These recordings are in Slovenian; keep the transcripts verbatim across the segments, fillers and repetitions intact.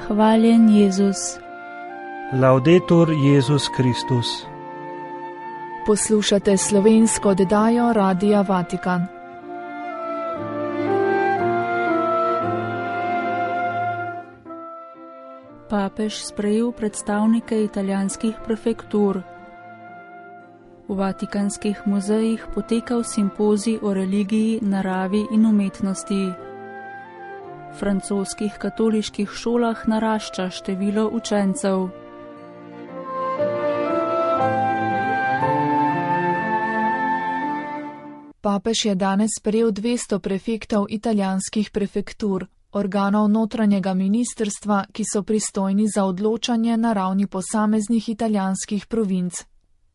Hvaljen Jezus. Laudetur Jezus Kristus. Poslušate slovensko oddajo Radia Vatikan. Papež sprejel predstavnike italijanskih prefektur. V vatikanskih muzejih potekal simpozij o religiji, naravi in umetnosti. V francoskih katoliških šolah narašča število učencev. Papež je danes sprejel dvesto prefektov italijanskih prefektur, organov notranjega ministrstva, ki so pristojni za odločanje na ravni posameznih italijanskih provinc.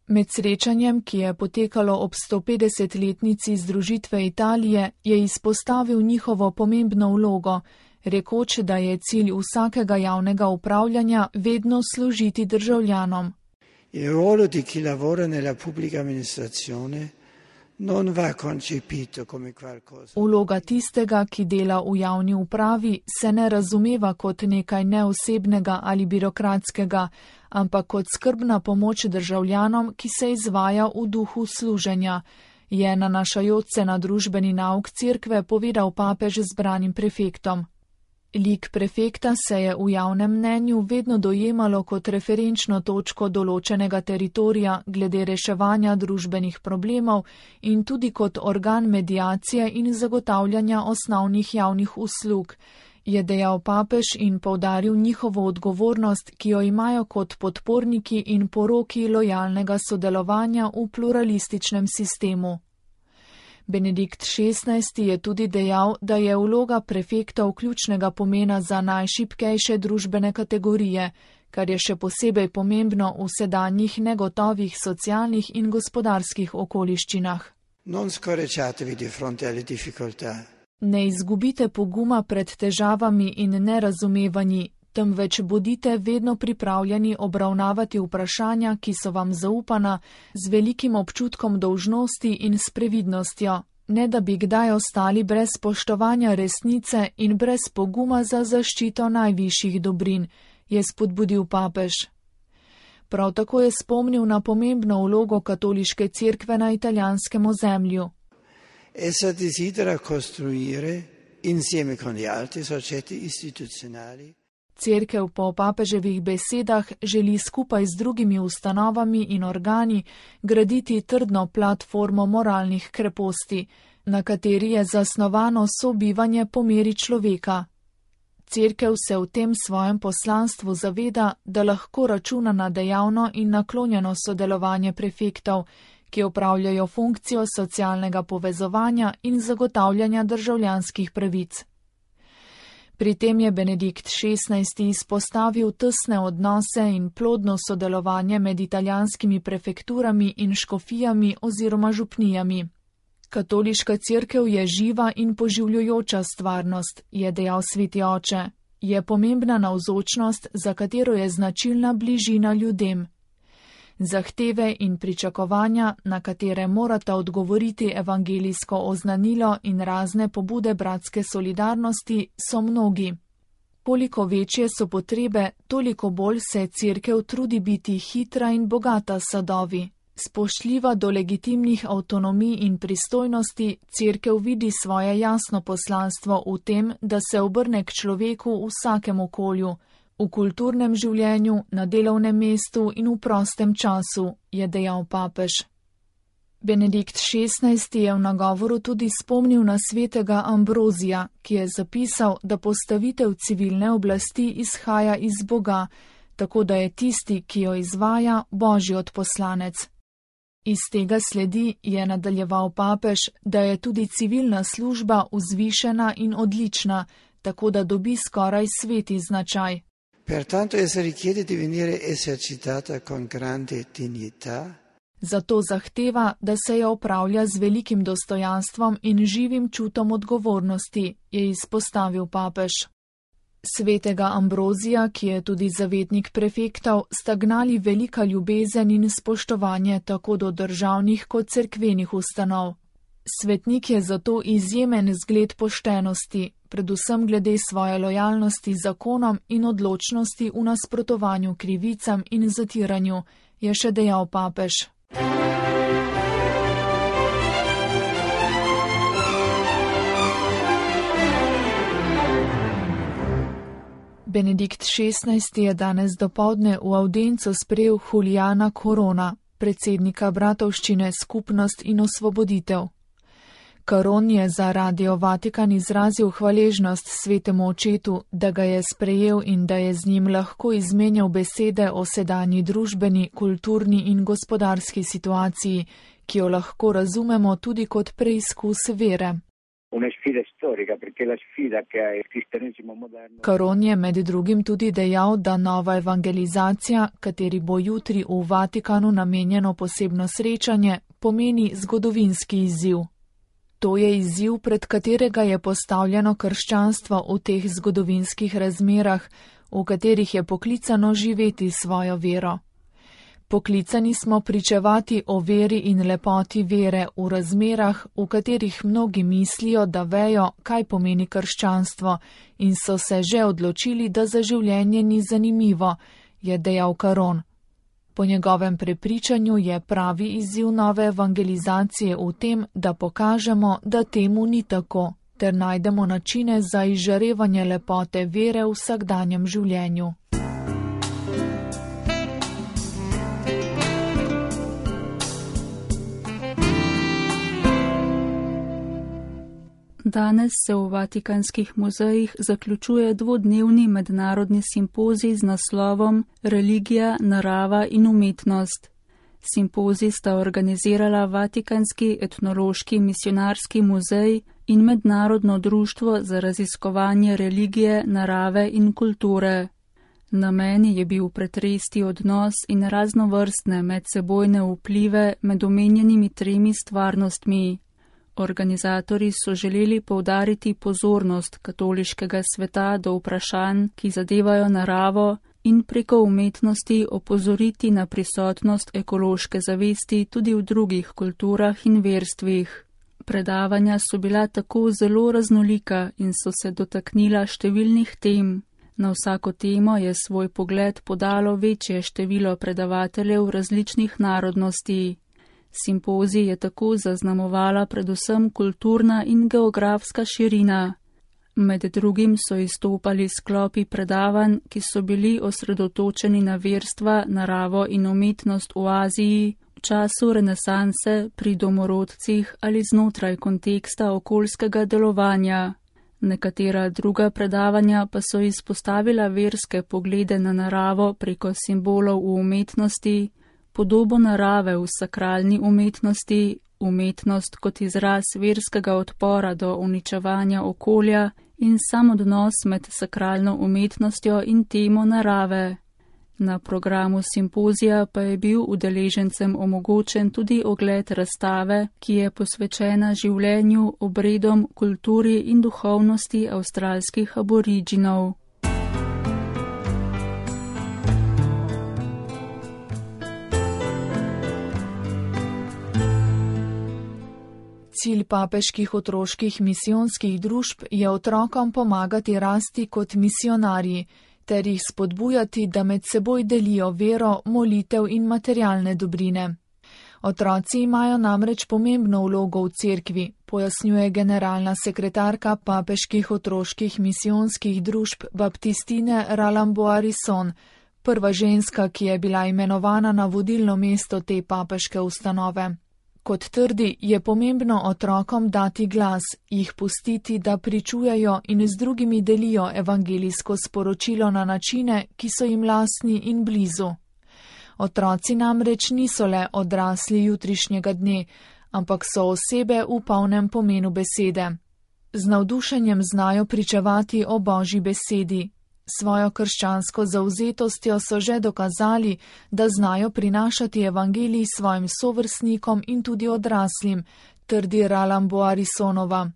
Med srečanjem, ki je potekalo ob sto petdesetletnici združitve Italije, je izpostavil njihovo pomembno vlogo, rekoč, da je cilj vsakega javnega upravljanja vedno služiti državljanom. Il ruolo di chi lavora nella pubblica amministrazione non va concepito come qualcosa. Vloga tistega, ki dela v javni upravi, se ne razumeva kot nekaj neosebnega ali birokratskega, ampak kot skrbna pomoč državljanom, ki se izvaja v duhu služenja, je nanašajoč se na družbeni nauk cerkve povedal papež zbranim prefektom. Lik prefekta se je v javnem mnenju vedno dojemalo kot referenčno točko določenega teritorija glede reševanja družbenih problemov in tudi kot organ mediacije in zagotavljanja osnovnih javnih uslug, je dejal papež in poudaril njihovo odgovornost, ki jo imajo kot podporniki in poroki lojalnega sodelovanja v pluralističnem sistemu. Benedikt šestnajsti je tudi dejal, da je vloga prefektov ključnega pomena za najšibkejše družbene kategorije, kar je še posebej pomembno v sedanjih negotovih socialnih in gospodarskih okoliščinah. Non scoraggiatevi di fronte alle difficoltà. Ne izgubite poguma pred težavami in nerazumevanji, temveč bodite vedno pripravljeni obravnavati vprašanja, ki so vam zaupana, z velikim občutkom dolžnosti in s previdnostjo, ne da bi kdaj ostali brez spoštovanja resnice in brez poguma za zaščito najvišjih dobrin, je spodbudil papež. Prav tako je spomnil na pomembno vlogo katoliške cerkve na italijanskem ozemlju. Essa desidera costruire, insieme con gli altri soggetti istituzionali, Cerkev po papeževih besedah želi skupaj z drugimi ustanovami in organi graditi trdno platformo moralnih kreposti, na kateri je zasnovano sobivanje po meri človeka. Cerkev se v tem svojem poslanstvu zaveda, da lahko računa na dejavno in naklonjeno sodelovanje prefektov, ki opravljajo funkcijo socialnega povezovanja in zagotavljanja državljanskih pravic. Pri tem je Benedikt šestnajsti izpostavil tesne odnose in plodno sodelovanje med italijanskimi prefekturami in škofijami oziroma župnijami. Katoliška cerkev je živa in poživljujoča stvarnost, je dejal sveti oče. Je pomembna navzočnost, za katero je značilna bližina ljudem. Zahteve in pričakovanja, na katere morata odgovoriti evangelijsko oznanilo in razne pobude bratske solidarnosti, so mnogi. Koliko večje so potrebe, toliko bolj se cerkev trudi biti hitra in bogata s sadovi. Spoštljiva do legitimnih avtonomij in pristojnosti, cerkev vidi svoje jasno poslanstvo v tem, da se obrne k človeku v vsakem okolju, v kulturnem življenju, na delovnem mestu in v prostem času, je dejal papež. Benedikt šestnajsti je v nagovoru tudi spomnil na svetega Ambrozija, ki je zapisal, da postavitev civilne oblasti izhaja iz Boga, tako da je tisti, ki jo izvaja, Božji odposlanec. Iz tega sledi, je nadaljeval papež, da je tudi civilna služba vzvišena in odlična, tako da dobi skoraj sveti značaj. Pertanto essa richiede di venire esercitata con grande dignità. Zato zahteva, da se jo opravlja z velikim dostojanstvom in živim čutom odgovornosti, je izpostavil papež. Svetega Ambrozija, ki je tudi zavetnik prefektov, sta gnali velika ljubezen in spoštovanje tako do državnih kot cerkvenih ustanov. Svetnik je zato izjemen zgled poštenosti, predvsem glede svoje lojalnosti zakonom in odločnosti v nasprotovanju krivicam in zatiranju, je še dejal papež. Benedikt šestnajsti je danes dopoldne v avdiencu sprejel Juliana Corona, predsednika bratovščine Skupnost in osvoboditev. Caron je za Radio Vatikan izrazil hvaležnost svetemu očetu, da ga je sprejel in da je z njim lahko izmenjal besede o sedanji družbeni, kulturni in gospodarski situaciji, ki jo lahko razumemo tudi kot preizkus vere. Caron je med drugim tudi dejal, da nova evangelizacija, kateri bo jutri v Vatikanu namenjeno posebno srečanje, pomeni zgodovinski izziv. To je izziv, pred katerega je postavljeno krščanstvo v teh zgodovinskih razmerah, v katerih je poklicano živeti svojo vero. Poklicani smo pričevati o veri in lepoti vere v razmerah, v katerih mnogi mislijo, da vejo, kaj pomeni krščanstvo in so se že odločili, da za življenje ni zanimivo, je dejal Caron. Po njegovem prepričanju je pravi izziv nove evangelizacije v tem, da pokažemo, da temu ni tako, ter najdemo načine za izžarevanje lepote vere v vsakdanjem življenju. Danes se v vatikanskih muzejih zaključuje dvodnevni mednarodni simpozij z naslovom Religija, narava in umetnost. Simpozij sta organizirala Vatikanski etnološki misionarski muzej in Mednarodno društvo za raziskovanje religije, narave in kulture. Namen je bil pretresti odnos in raznovrstne medsebojne vplive med omenjenimi tremi stvarnostmi. Organizatorji so želeli poudariti pozornost katoliškega sveta do vprašanj, ki zadevajo naravo, in preko umetnosti opozoriti na prisotnost ekološke zavesti tudi v drugih kulturah in verstvih. Predavanja so bila tako zelo raznolika in so se dotaknila številnih tem. Na vsako temo je svoj pogled podalo večje število predavateljev različnih narodnosti. Simpozij je tako zaznamovala predvsem kulturna in geografska širina. Med drugim so izstopali sklopi predavanj, ki so bili osredotočeni na verstva, naravo in umetnost v Aziji, v času renesanse, pri domorodcih ali znotraj konteksta okoljskega delovanja. Nekatera druga predavanja pa so izpostavila verske poglede na naravo preko simbolov v umetnosti, podobo narave v sakralni umetnosti, umetnost kot izraz verskega odpora do uničevanja okolja in sam odnos med sakralno umetnostjo in temo narave. Na programu simpozija pa je bil udeležencem omogočen tudi ogled razstave, ki je posvečena življenju, obredom, kulturi in duhovnosti avstralskih aboriginov. Cilj papeških otroških misijonskih družb je otrokom pomagati rasti kot misionarji, ter jih spodbujati, da med seboj delijo vero, molitev in materialne dobrine. Otroci imajo namreč pomembno vlogo v cerkvi, pojasnjuje generalna sekretarka papeških otroških misijonskih družb Baptistine Ralamboarison, prva ženska, ki je bila imenovana na vodilno mesto te papeške ustanove. Kot trdi, je pomembno otrokom dati glas, jih pustiti, da pričujejo in z drugimi delijo evangelijsko sporočilo na načine, ki so jim lastni in blizu. Otroci namreč niso le odrasli jutrišnjega dne, ampak so osebe v polnem pomenu besede. Z navdušenjem znajo pričevati o Božji besedi. Svojo krščansko zavzetostjo so že dokazali, da znajo prinašati evangelij svojim sovrstnikom in tudi odraslim, trdi Ralamboarisonova.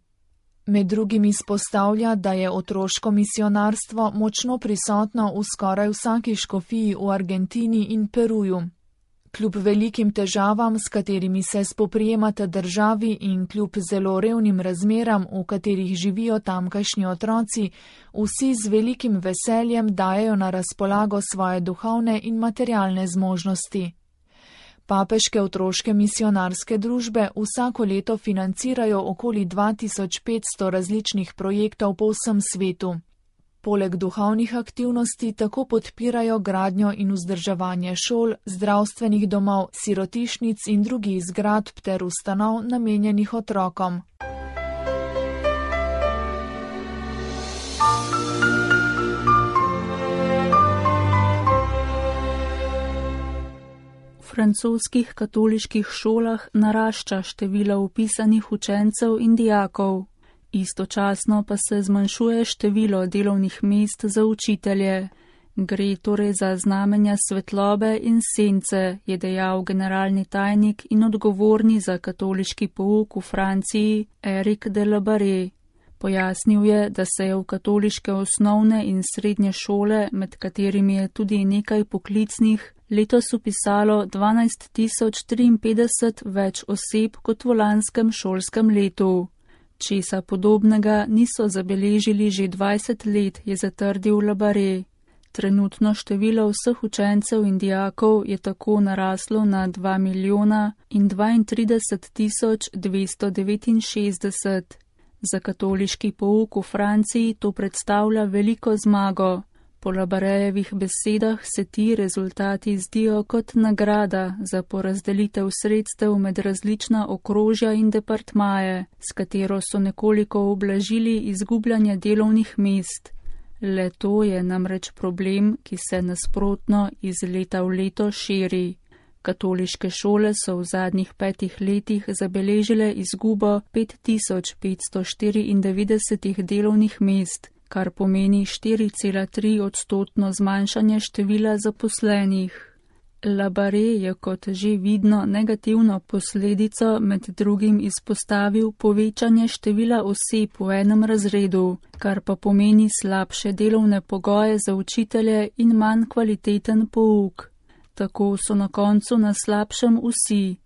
Med drugim izpostavlja, da je otroško misionarstvo močno prisotno v skoraj vsaki škofiji v Argentini in Peruju. Kljub velikim težavam, s katerimi se spoprijemata državi in kljub zelo revnim razmeram, v katerih živijo tamkajšnji otroci, vsi z velikim veseljem dajejo na razpolago svoje duhovne in materialne zmožnosti. Papeške otroške misionarske družbe vsako leto financirajo okoli dva tisoč petsto različnih projektov po vsem svetu. Poleg duhovnih aktivnosti tako podpirajo gradnjo in vzdrževanje šol, zdravstvenih domov, sirotišnic in drugih zgradb ter ustanov namenjenih otrokom. V francoskih katoliških šolah narašča število vpisanih učencev in dijakov. Istočasno pa se zmanjšuje število delovnih mest za učitelje. Gre torej za znamenja svetlobe in sence, je dejal generalni tajnik in odgovorni za katoliški pouk v Franciji Eric de la Barre. Pojasnil je, da se je v katoliške osnovne in srednje šole, med katerimi je tudi nekaj poklicnih, letos vpisalo dvanajst tisoč triinpetdeset več oseb kot v lanskem šolskem letu. Česa podobnega niso zabeležili že dvajset let, je zatrdil La Barre. Trenutno število vseh učencev in dijakov je tako naraslo na dva milijona in dvaintrideset tisoč dvesto devetinšestdeset. Za katoliški pouk v Franciji to predstavlja veliko zmago. Po La Barrejevih besedah se ti rezultati zdijo kot nagrada za porazdelitev sredstev med različna okrožja in departmaje, s katero so nekoliko ublažili izgubljanje delovnih mest. Le to je namreč problem, ki se nasprotno iz leta v leto širi. Katoliške šole so v zadnjih petih letih zabeležile izgubo pet tisoč petsto štiriindevetdeset delovnih mest, kar pomeni štiri cela tri odstotno zmanjšanje števila zaposlenih. La Barre je kot že vidno negativno posledico med drugim izpostavil povečanje števila oseb v enem razredu, kar pa pomeni slabše delovne pogoje za učitelje in manj kvaliteten pouk. Tako so na koncu na slabšem vsi.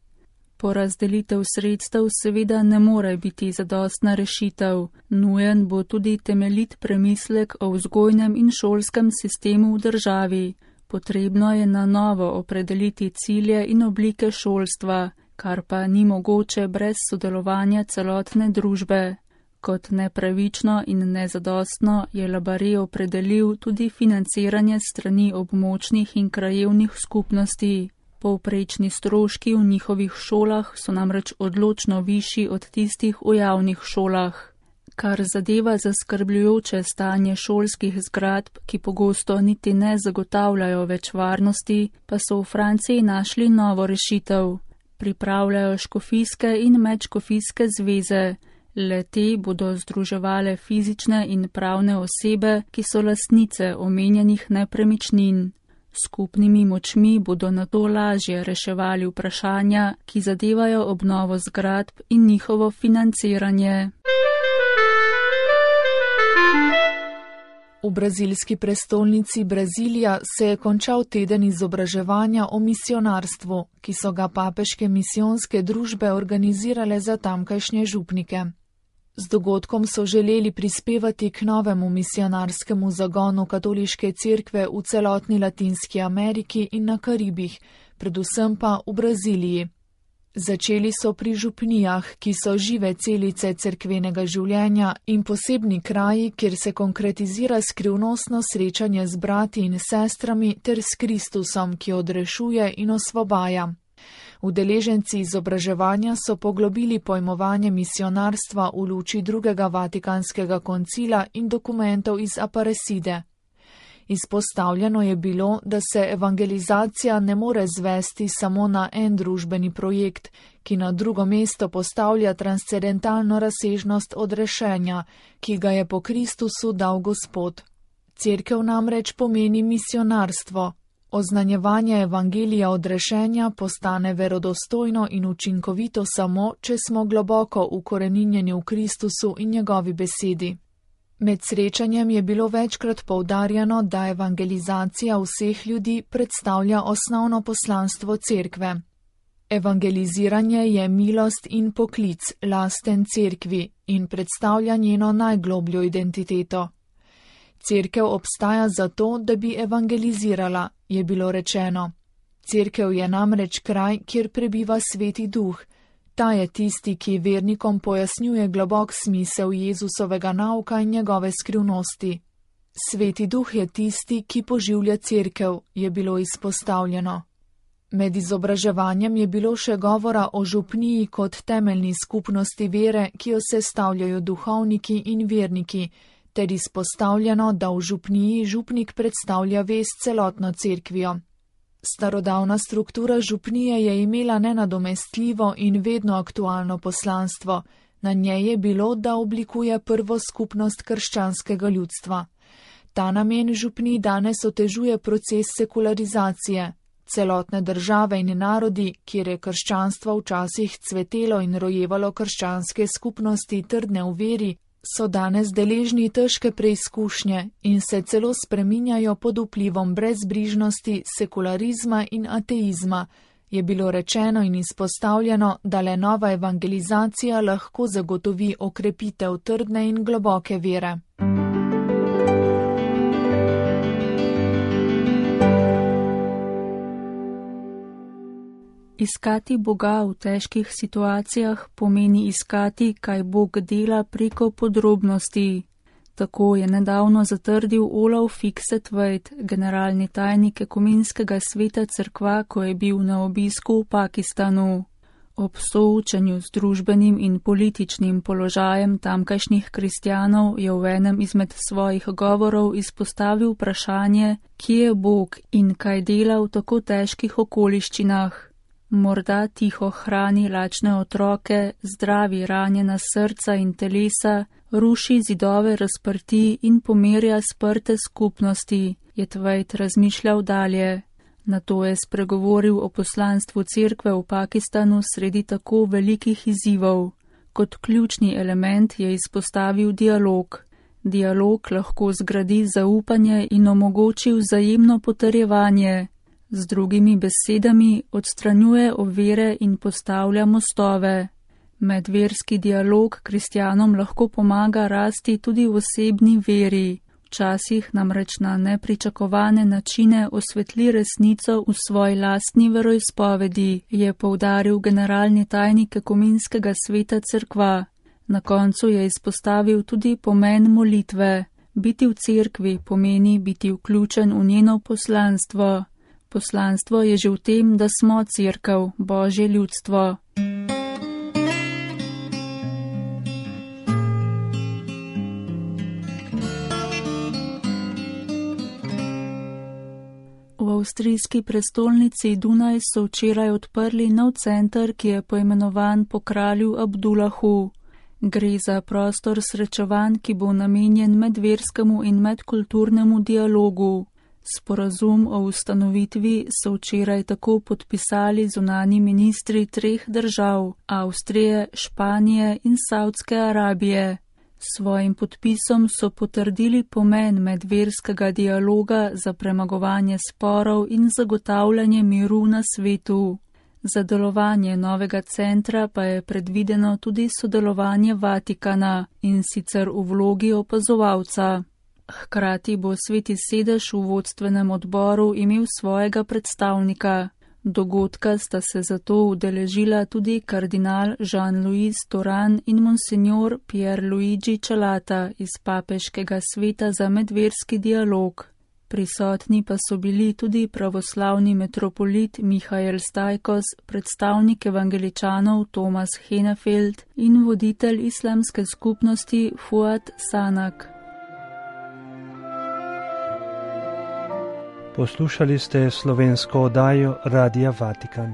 Porazdelitev sredstev seveda ne more biti zadostna rešitev. Nujen bo tudi temeljit premislek o vzgojnem in šolskem sistemu v državi. Potrebno je na novo opredeliti cilje in oblike šolstva, kar pa ni mogoče brez sodelovanja celotne družbe. Kot nepravično in nezadostno je La Barre opredelil tudi financiranje strani območnih in krajevnih skupnosti. Povprečni stroški v njihovih šolah so namreč odločno višji od tistih v javnih šolah. Kar zadeva zaskrbljujoče stanje šolskih zgradb, ki pogosto niti ne zagotavljajo več varnosti, pa so v Franciji našli novo rešitev. Pripravljajo škofijske in medškofijske zveze. Le te bodo združevale fizične in pravne osebe, ki so lastnice omenjenih nepremičnin. Skupnimi močmi bodo nato lažje reševali vprašanja, ki zadevajo obnovo zgradb in njihovo financiranje. V brazilski prestolnici Brazilija se je končal teden izobraževanja o misionarstvu, ki so ga papeške misijonske družbe organizirale za tamkajšnje župnike. Z dogodkom so želeli prispevati k novemu misionarskemu zagonu katoliške cerkve v celotni Latinski Ameriki in na Karibih, predvsem pa v Braziliji. Začeli so pri župnijah, ki so žive celice cerkvenega življenja in posebni kraji, kjer se konkretizira skrivnostno srečanje z brati in sestrami ter s Kristusom, ki odrešuje in osvobaja. Udeleženci izobraževanja so poglobili pojmovanje misionarstva v luči drugega Vatikanskega koncila in dokumentov iz Aparecide. Izpostavljeno je bilo, da se evangelizacija ne more zvesti samo na en družbeni projekt, ki na drugo mesto postavlja transcendentalno razsežnost odrešenja, ki ga je po Kristusu dal Gospod. Cerkev namreč pomeni misionarstvo. Oznanjevanje evangelija odrešenja postane verodostojno in učinkovito samo, če smo globoko ukoreninjeni v Kristusu in njegovi besedi. Med srečanjem je bilo večkrat poudarjeno, da evangelizacija vseh ljudi predstavlja osnovno poslanstvo cerkve. Evangeliziranje je milost in poklic, lasten cerkvi in predstavlja njeno najglobljo identiteto. Cerkev obstaja zato, da bi evangelizirala, je bilo rečeno. Cerkev je namreč kraj, kjer prebiva Sveti Duh. Ta je tisti, ki vernikom pojasnjuje globok smisel Jezusovega nauka in njegove skrivnosti. Sveti Duh je tisti, ki poživlja cerkev, je bilo izpostavljeno. Med izobraževanjem je bilo še govora o župniji kot temeljni skupnosti vere, ki jo sestavljajo duhovniki in verniki, ter izpostavljeno, da v župniji župnik predstavlja vest celotno cerkvijo. Starodavna struktura župnije je imela nenadomestljivo in vedno aktualno poslanstvo. Na njej je bilo, da oblikuje prvo skupnost krščanskega ljudstva. Ta namen župnij danes otežuje proces sekularizacije. Celotne države in narodi, kjer je krščanstvo včasih cvetelo in rojevalo krščanske skupnosti trdne v veri, so danes deležni težke preizkušnje in se celo spreminjajo pod vplivom brezbrižnosti, sekularizma in ateizma, je bilo rečeno in izpostavljeno, da le nova evangelizacija lahko zagotovi okrepitev trdne in globoke vere. Iskati Boga v težkih situacijah pomeni iskati, kaj Bog dela preko podrobnosti. Tako je nedavno zatrdil Olaf Fikset-Veit, generalni tajnik Ekumenskega sveta cerkva, ko je bil na obisku v Pakistanu. Ob soočanju z družbenim in političnim položajem tamkajšnjih kristjanov je v enem izmed svojih govorov izpostavil vprašanje, kje je Bog in kaj dela v tako težkih okoliščinah. Morda tiho hrani lačne otroke, zdravi ranjena srca in telesa, ruši zidove razprti in pomirja sprte skupnosti, je Tveit razmišljal dalje. Nato je spregovoril o poslanstvu cerkve v Pakistanu sredi tako velikih izzivov. Kot ključni element je izpostavil dialog. Dialog lahko zgradi zaupanje in omogoči vzajemno potrjevanje. Z drugimi besedami odstranjuje ovire in postavlja mostove. Medverski dialog kristjanom lahko pomaga rasti tudi v osebni veri. Včasih namreč na nepričakovane načine osvetli resnico v svoji lastni veroizpovedi, je poudaril generalni tajnik Ekumenskega sveta cerkva. Na koncu je izpostavil tudi pomen molitve. Biti v cerkvi pomeni biti vključen v njeno poslanstvo. Poslanstvo je že v tem, da smo cerkev, Božje ljudstvo. V avstrijski prestolnici Dunaj so včeraj odprli nov center, ki je poimenovan po kralju Abdullahu. Gre za prostor srečevanj, ki bo namenjen medverskemu in medkulturnemu dialogu. Sporazum o ustanovitvi so včeraj tako podpisali zunanji ministri treh držav, Avstrije, Španije in Saudske Arabije. S svojim podpisom so potrdili pomen medverskega dialoga za premagovanje sporov in zagotavljanje miru na svetu. Za delovanje novega centra pa je predvideno tudi sodelovanje Vatikana, in sicer v vlogi opazovalca. Hkrati bo Sveti sedež v vodstvenem odboru imel svojega predstavnika. Dogodka sta se zato udeležila tudi kardinal Jean-Louis Toran in monsignor Pierluigi Celata iz Papeškega sveta za medverski dialog. Prisotni pa so bili tudi pravoslavni metropolit Mihael Stajkos, predstavnik evangeličanov Tomas Henefeld in voditelj islamske skupnosti Fuad Sanak. Poslušali ste slovensko oddajo Radia Vatikan.